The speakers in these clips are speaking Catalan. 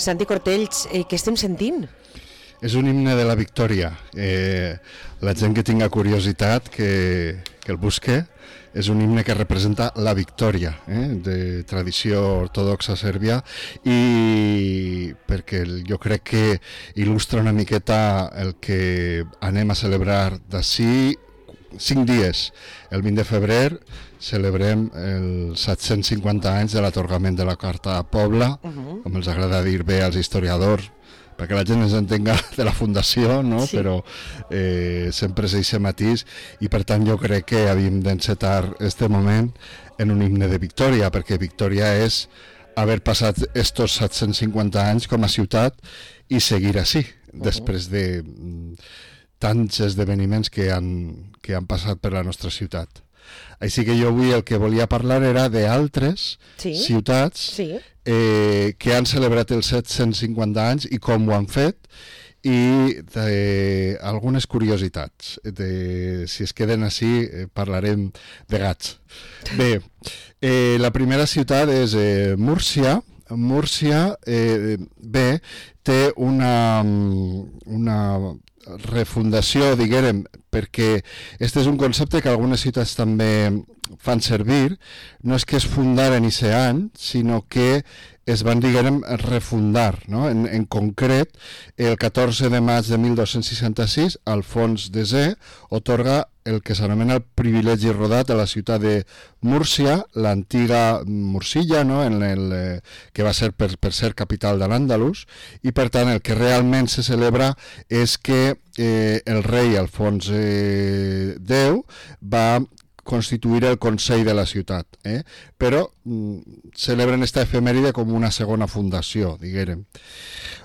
Santi Cortells, què estem sentint? És un himne de la victòria. La gent que tinga curiositat que el busque. És un himne que representa la victòria, de tradició ortodoxa sèrbia, i perquè jo crec que il·lustra una miqueta el que anem a celebrar d'ací 5 dies. El 20 de febrer celebrem els 750 anys de l'atorgament de la Carta Pobla, com els agrada dir bé als historiadors, perquè la gent ens entenga de la fundació, no? Sí. Però sempre és aquest matís, i per tant jo crec que havíem d'encetar este moment en un himne de victòria, perquè victòria és haver passat estos 750 anys com a ciutat i seguir així, després de tants esdeveniments que han passat per la nostra ciutat. Així que jo avui el que volia parlar era d'altres ciutats que han celebrat els 750 anys i com ho han fet, i algunes curiositats. Si es queden així parlarem de gats. Bé, la primera ciutat és Múrcia. Múrcia té una refundació, diguem, perquè este és un concepte que algunes ciutats també fan servir. No és que es fundaren i se any, sinó que es van, diguem, refundar, no? En concret, el 14 de maig de 1266, Alfons X otorga el que s'anomena el privilegi rodat a la ciutat de Múrcia, l'antiga Mursilla, no? Que va ser per ser capital de l'Àndalus, i per tant el que realment se celebra és que el rei Alfons X va constituir el Consell de la ciutat, però celebren esta efemèride com una segona fundació, diguem.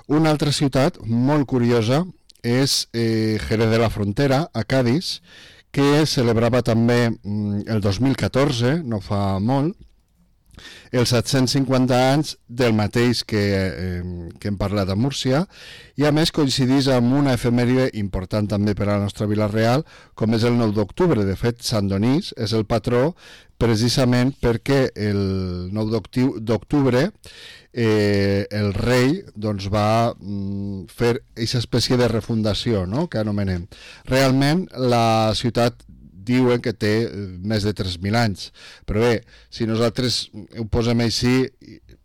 Una altra ciutat molt curiosa és Jerez de la Frontera, a Cádiz, que celebrava també el 2014, no fa molt, els 750 anys del mateix que hem parlat a Múrcia, i a més coincidís amb una efemèride important també per a la nostra Vila Real, com és el 9 d'octubre. De fet, Sant Donís és el patró precisament perquè el 9 d'octubre el rei va fer aquesta espècie de refundació, no?, que anomenem. Realment la ciutat diuen que té més de 3.000 anys, però bé, si nosaltres ho posem així,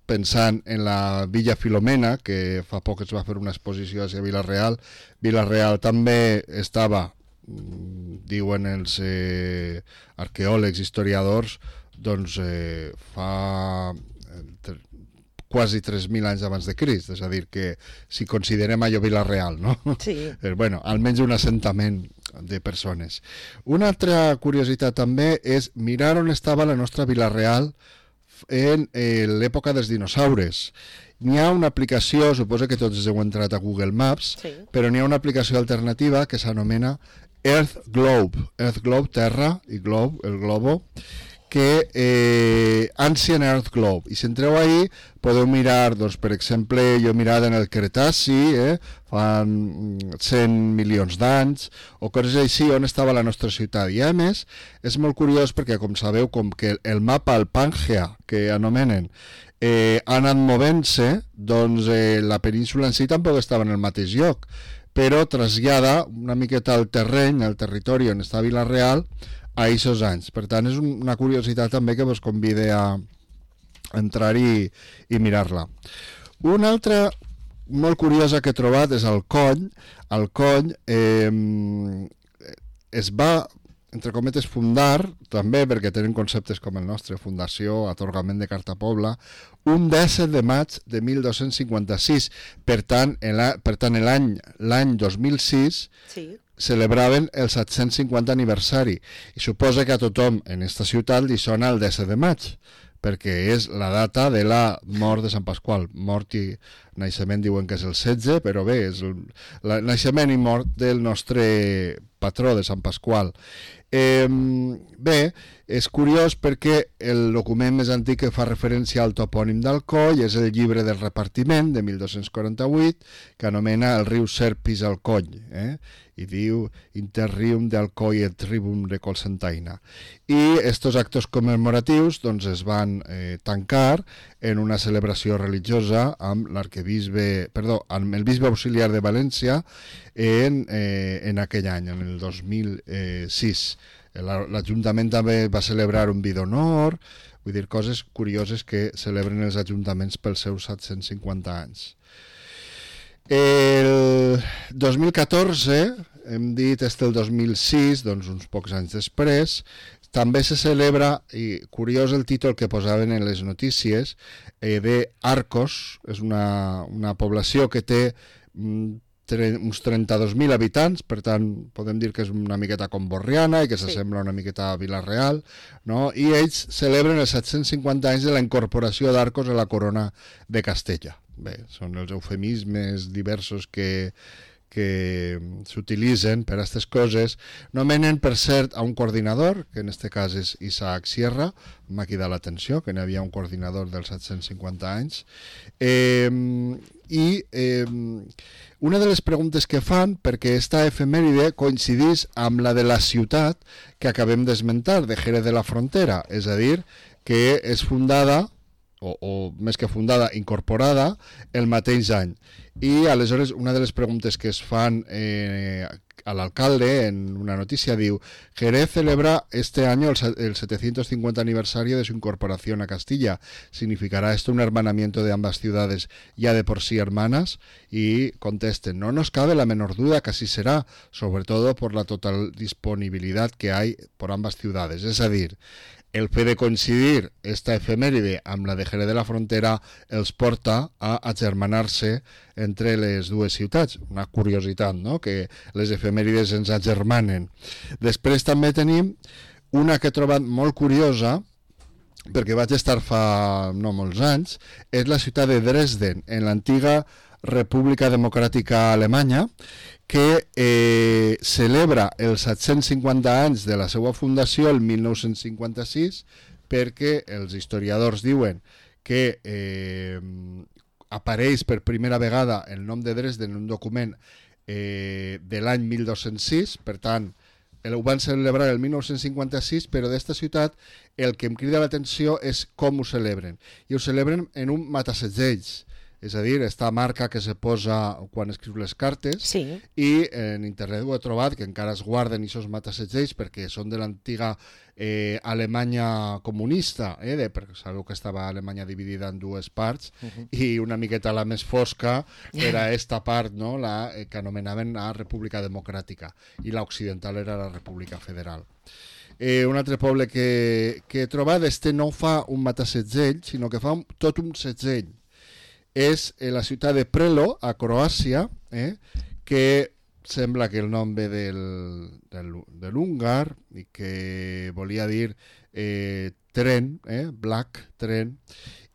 pensant en la Villa Filomena, que fa poc es va fer una exposició a Vila-real, Vila-real també estava, diuen els arqueòlegs, historiadors, doncs fa quasi 3.000 anys abans de Crist, és a dir, que si considerem allò Vila-real, no? Sí. Bueno, almenys un assentament de persones. Una altra curiositat també és mirar on estava la nostra Vila-real en l'època dels dinosaures. N'hi ha una aplicació, suposo que tots heu entrat a Google Maps, però n'hi ha una aplicació alternativa que s'anomena Earth Globe. Earth Globe, terra, i globe, el globo, que Ancient Earth Globe. I si entreu ahí podeu mirar, doncs, per exemple, jo he mirat en el Cretaci, fan 100 milions d'anys, o coses així, on estava la nostra ciutat. I a més, és molt curiós perquè, com sabeu, com que el mapa, el Pangea, que anomenen, ha anat movent-se, doncs la península en si tampoc estava en el mateix lloc, però trasllada una miqueta el terreny, el territori on està Vila-real, a aquests anys. Per tant, és una curiositat també que vos convide a entrar-hi i mirar-la. Una altra molt curiosa que he trobat és el Cony. El Cony es va, entre cometes, fundar, també perquè tenen conceptes com el nostre, fundació, atorgament de Carta Pobla, un 17 de maig de 1256. Per tant, l'any 2006 celebraven el 750 aniversari, i suposa que a tothom en esta ciutat li sona el 17 de maig, perquè és la data de la mort de Sant Pasqual. Mort i naixement diuen que és el 16, però bé, és el naixement i mort del nostre patró de Sant Pasqual. Bé, és curiós perquè el document més antic que fa referència al topònim d'Alcoi és el llibre del repartiment de 1248, que anomena el riu Serpis al Coll, i diu Interrium de Alcoi et Tribum de Colsentaina. I estos actos commemoratius doncs, es van tancar en una celebració religiosa amb amb el bisbe auxiliar de València en aquell any, en el 2006. L'Ajuntament també va celebrar un vi d'honor, vull dir, coses curioses que celebren els ajuntaments pels seus 750 anys. El 2014, hem dit el 2006, doncs uns pocs anys després, també se celebra, i curiós el títol que posaven en les notícies, de Arcos, és una població que té uns 32.000 habitants, per tant podem dir que és una miqueta com Borriana i que s'assembla una miqueta a Vila-real, no? I ells celebren els 750 anys de la incorporació d'Arcos a la corona de Castella. Bé, són els eufemismes diversos que s'utilitzen per a aquestes coses. Nomenen, per cert, a un coordinador, que en aquest cas és Isaac Sierra, m'ha cridat l'atenció, que n'hi havia un coordinador dels 750 anys. Una de les preguntes que fan, perquè aquesta efemèride coincidís amb la de la ciutat que acabem d'esmentar, de Jerez de la Frontera, és a dir, que és fundada, o més que fundada, incorporada el mateix any. I aleshores una de les preguntes que es fan a l'alcalde en una noticia diu: Jerez celebra este año el 750 aniversario de su incorporación a Castilla. ¿Significará esto un hermanamiento de ambas ciudades ya de por sí hermanas? Y contesten: no nos cabe la menor duda que así será, sobre todo por la total disponibilidad que hay por ambas ciudades. És a dir, el fet de coincidir esta efemèride amb la de Jerez de la Frontera els porta a agermanar-se entre les dues ciutats. Una curiositat, no?, que les efemèrides ens agermanen. Després també tenim una que he trobat molt curiosa, perquè vaig estar fa no molts anys, és la ciutat de Dresden, en l'antiga República Democràtica Alemanya, que celebra els 750 anys de la seva fundació el 1956, perquè els historiadors diuen que apareix per primera vegada el nom de Dresden en un document de l'any 1206, per tant ho van celebrar el 1956, però d'esta ciutat el que em crida l'atenció és com ho celebren, i ho celebren en un matassegells. És a dir, esta marca que se posa quan escriu les cartes, sí. I en internet ho he trobat, que encara es guarden aquests matassegells perquè són de l'antiga Alemanya comunista, perquè sabeu que estava Alemanya dividida en dues parts, i una miqueta la més fosca era esta part, no?, la que anomenaven la República Democràtica, i l'occidental era la República Federal. Un altre poble que he trobat, no fa un matassegell, sinó que fa tot un segell. És la ciutat de Prelo, a Croàcia, que sembla que el nom ve de l'húngar i que volia dir tren, black, tren,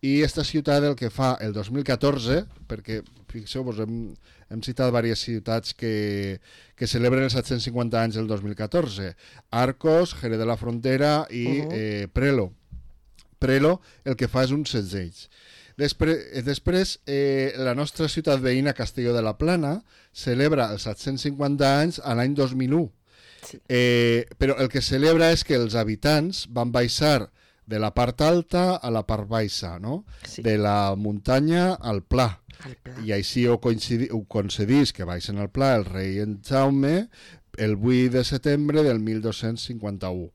i aquesta ciutat el que fa el 2014, perquè fixeu-vos, hem citat diverses ciutats que celebren els 750 anys del 2014, Arcos, Jerez de la Frontera i Prelo. Prelo el que fa és un segell. Després, la nostra ciutat veïna, Castelló de la Plana, celebra els 750 anys a l'any 2001. Sí. Però el que celebra és que els habitants van baixar de la part alta a la part baixa, no? Sí. De la muntanya al pla. I així ho concedís que baixen al pla el rei en Jaume el 8 de setembre del 1251.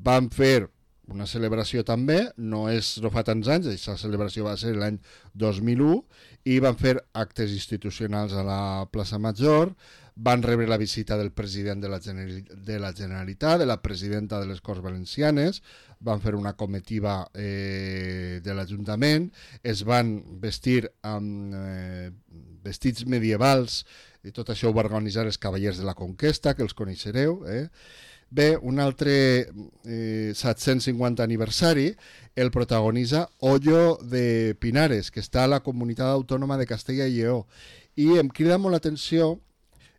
Van fer una celebració també, no fa tants anys, aquesta celebració va ser l'any 2001, i van fer actes institucionals a la plaça Major, van rebre la visita del president de la Generalitat, de la presidenta de les Corts Valencianes, van fer una comitiva de l'Ajuntament, es van vestir amb vestits medievals, i tot això ho va organitzar els Cavallers de la Conquesta, que els coneixereu, Bé, un altre 750 aniversari el protagonitza Hoyo de Pinares, que està a la Comunitat Autònoma de Castella i Lleó. I em crida molt l'atenció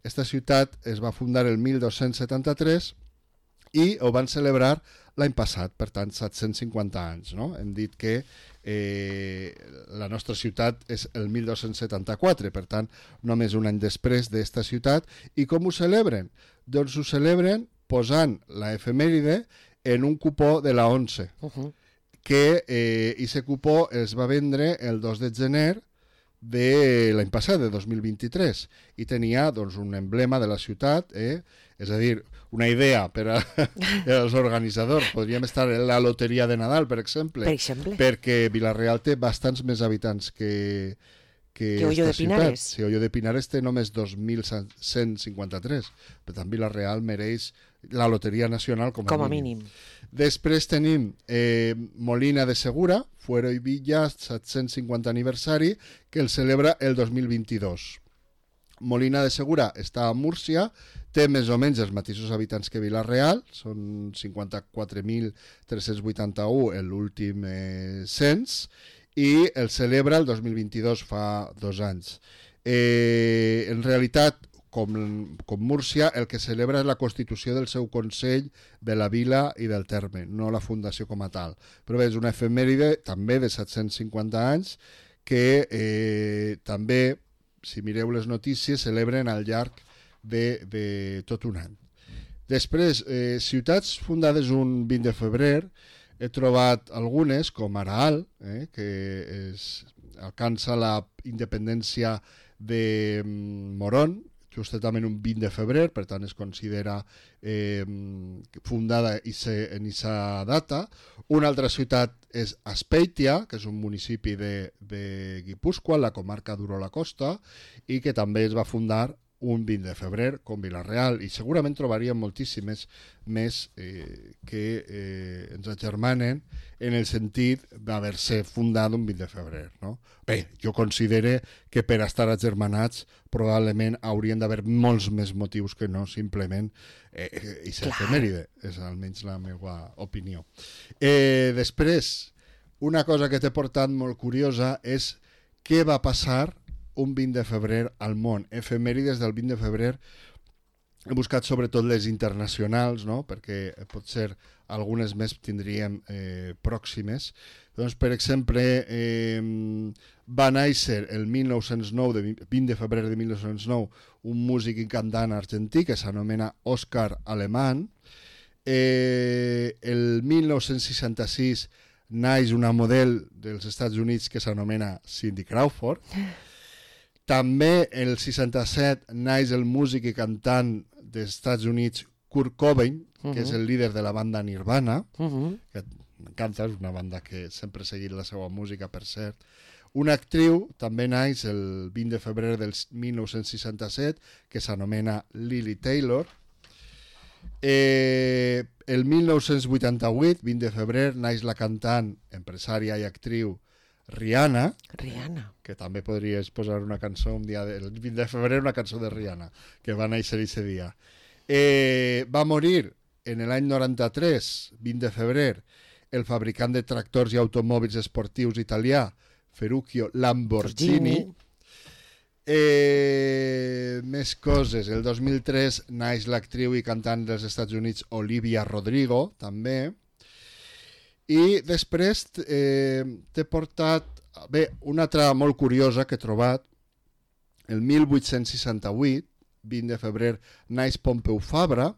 Esta ciutat es va fundar el 1273 i ho van celebrar l'any passat, per tant 750 anys, no? Hem dit que la nostra ciutat és el 1274, per tant només un any després d'esta ciutat. I com ho celebren? Doncs ho celebren posant la efemèride en un cupó de la 11, que aquest cupó es va vendre el 2 de gener de l'any passat, de 2023, i tenia doncs, un emblema de la ciutat, és a dir, una idea per als organitzadors. Podríem estar en la loteria de Nadal, per exemple, perquè Vila-real té bastants més habitants que Hoyo de Pinares. Sí, Hoyo de Pinares té només 2.153, per tant Vila-real mereix la loteria nacional com a mínim. Després tenim Molina de Segura, Fuero i Villa, 750 aniversari, que el celebra el 2022. Molina de Segura està a Múrcia, té més o menys els mateixos habitants que Vila-real, són 54.381 l'últim cens, i el celebra el 2022, fa 2 anys. En realitat, com Múrcia, el que celebra és la constitució del seu Consell de la Vila i del Terme, no la fundació com a tal. Però bé, és una efemèride també de 750 anys que també, si mireu les notícies, celebren al llarg de tot un any. Després, ciutats fundades un 20 de febrer, he trobat algunes, com Araal, que alcança la independència de Morón, justament un 20 de febrer, per tant es considera fundada en aquesta data. Una altra ciutat és Azpeitia, que és un municipi de Guipúscoa, la comarca d'Urola Costa, i que també es va fundar un 20 de febrer, com Vila-real, i segurament trobaríem moltíssimes més que ens agermanen en el sentit d'haver-se fundat un 20 de febrer. No? Bé, jo considero que per estar agermanats probablement haurien d'haver molts més motius que no simplement aquesta efemèride, és almenys la meva opinió. Després, una cosa que t'he portat molt curiosa és què va passar un 20 de febrer al món. Efemèrides del 20 de febrer he buscat sobretot les internacionals, no? Perquè potser algunes més tindríem pròximes. Doncs, per exemple, va néixer el 1909, 20 de febrer de 1909, un músic i cantant argentí que s'anomena Òscar Alemán. El 1966 naix una model dels Estats Units que s'anomena Cindy Crawford. També el 67 naix el músic i cantant dels Estats Units Kurt Cobain, que és el líder de la banda Nirvana, que m'encanta, és una banda que sempre he seguit la seva música, per cert. Una actriu també naix el 20 de febrer del 1967, que s'anomena Lily Taylor. El 1988, 20 de febrer, naix la cantant, empresària i actriu Rihanna, que també podries posar una cançó un dia el 20 de febrer, una cançó de Rihanna, que va néixer aquest dia. Va morir en l'any 93, 20 de febrer, el fabricant de tractors i automòbils esportius italià, Ferruccio Lamborghini. Més coses. El 2003 naix l'actriu i cantant dels Estats Units Olivia Rodrigo, també. I després t'he portat una altra molt curiosa que he trobat. El 1868, 20 de febrer, naix Pompeu Fabra,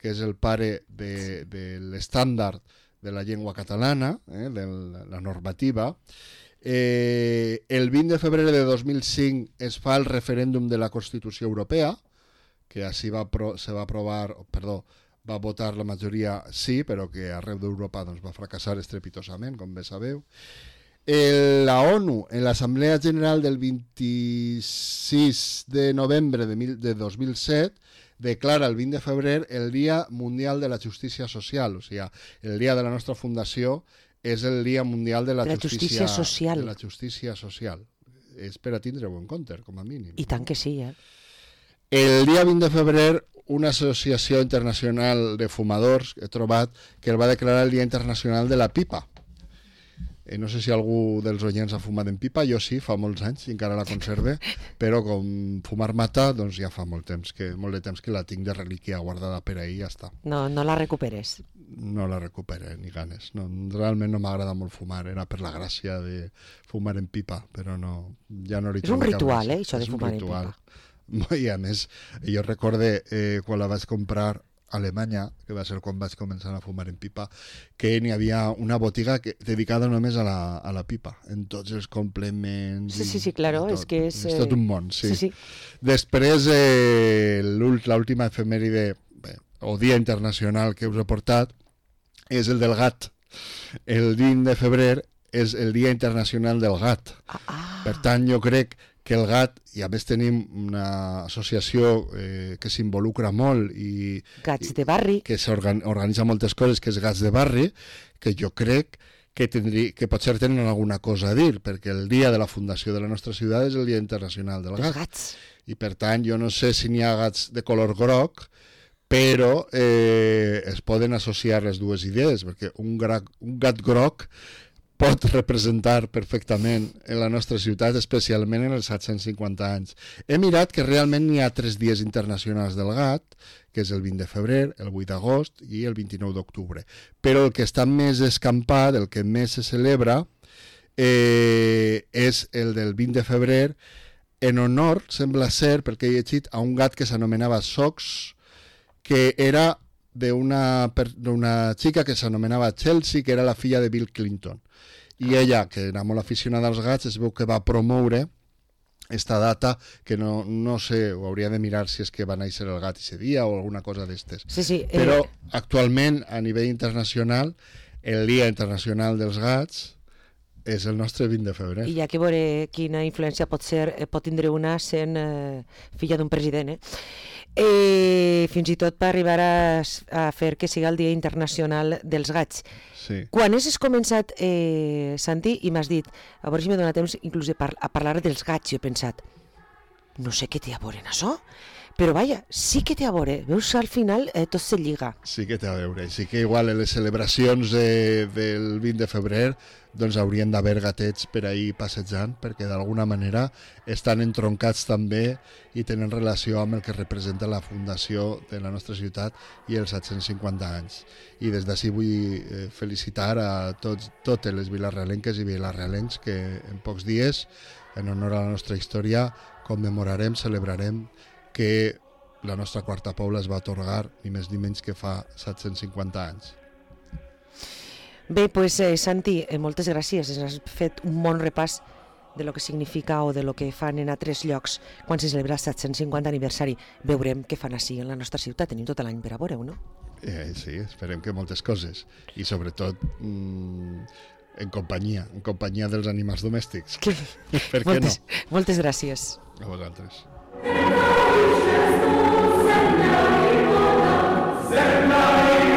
que és el pare de l'estàndard de la llengua catalana, de la normativa. El 20 de febrer de 2005 es fa el referèndum de la Constitució Europea, que així va votar la majoria sí, però que arreu d'Europa va fracassar estrepitosament, com bé sabeu. La ONU, en l'Assemblea General del 26 de novembre de 2007, declara el 20 de febrer el Dia Mundial de la Justícia Social, o sigui, el dia de la nostra fundació és el Dia Mundial de la Justícia Social. De la Justícia Social. És per a tindre-ho en compte, com a mínim. I tant que sí, El dia 20 de febrer, una associació internacional de fumadors he trobat que el va declarar el Dia Internacional de la Pipa. No sé si algú dels oients ha fumat en pipa, jo sí, fa molts anys, i encara la conserve, però com fumar mata, doncs ja fa molt de temps que la tinc de relíquia guardada per ahir i ja està. No la recuperes? No la recupere, ni ganes. No, realment no m'agrada molt fumar, era per la gràcia de fumar en pipa, però no, ja no li És un ritual, això de fumar en pipa. I a més, jo recorde quan la vaig comprar a Alemanya, que va ser quan vaig començar a fumar en pipa, que n'hi havia una botiga dedicada només a la pipa, en tots els complements... Sí, claro, és que és... És tot un món, sí. Sí. Després, l'última efemèride, o dia internacional que us he portat, és el del gat. El 20 de febrer és el Dia Internacional del Gat. Per tant, jo crec que el gat, i a més tenim una associació que s'involucra molt i Gats de barri, que s'organitza moltes coses, que és Gats de Barri, que jo crec que potser tenen alguna cosa a dir, perquè el dia de la fundació de la nostra ciutat és el Dia Internacional del Gat. Gats. I per tant, jo no sé si n'hi ha gats de color groc, però es poden associar les dues idees, perquè un gat groc pot representar perfectament en la nostra ciutat, especialment en els 750 anys. He mirat que realment n'hi ha 3 dies internacionals del gat, que és el 20 de febrer, el 8 d'agost i el 29 d'octubre. Però el que està més escampat, el que més se celebra, és el del 20 de febrer, en honor, sembla ser, perquè he llegit, a un gat que s'anomenava Sox, que era d'una xica que s'anomenava Chelsea, que era la filla de Bill Clinton. I ella, que era molt aficionada als gats, es veu que va promoure esta data, que no sé, ho hauria de mirar si és que va néixer el gat ese dia o alguna cosa d'estes. Sí, però actualment, a nivell internacional, el Dia Internacional dels Gats és el nostre 20 de febrer. I hi ha que veure quina influència pot tindre una sent filla d'un president, fins i tot per arribar a fer que siga el Dia Internacional dels Gats. Sí. Quan has començat, Santi, i m'has dit, a veure si m'he donat temps inclús a parlar dels gats, jo he pensat, no sé què té a veure en això, però vaja, sí que té a veure, veus, al final tot se lliga. Sí que té a veure, sí que igual en les celebracions del 20 de febrer doncs haurien d'haver gatets per ahir passejant, perquè d'alguna manera estan entroncats també i tenen relació amb el que representa la fundació de la nostra ciutat i els 750 anys. I des d'ací vull felicitar a totes les vilarealenques i vilarealencs que en pocs dies, en honor a la nostra història, commemorarem, celebrarem que la nostra quarta Pobla es va atorgar ni més ni menys que fa 750 anys. Bé, doncs Santi, moltes gràcies. Has fet un bon repàs de lo que significa o de lo que fan en altres llocs quan se celebra el 750 aniversari. Veurem què fan així en la nostra ciutat. Tenim tot l'any per a veure-ho, no? Sí, esperem que moltes coses. I sobretot en companyia dels animals domèstics. Per què no? Moltes gràcies. A vosaltres.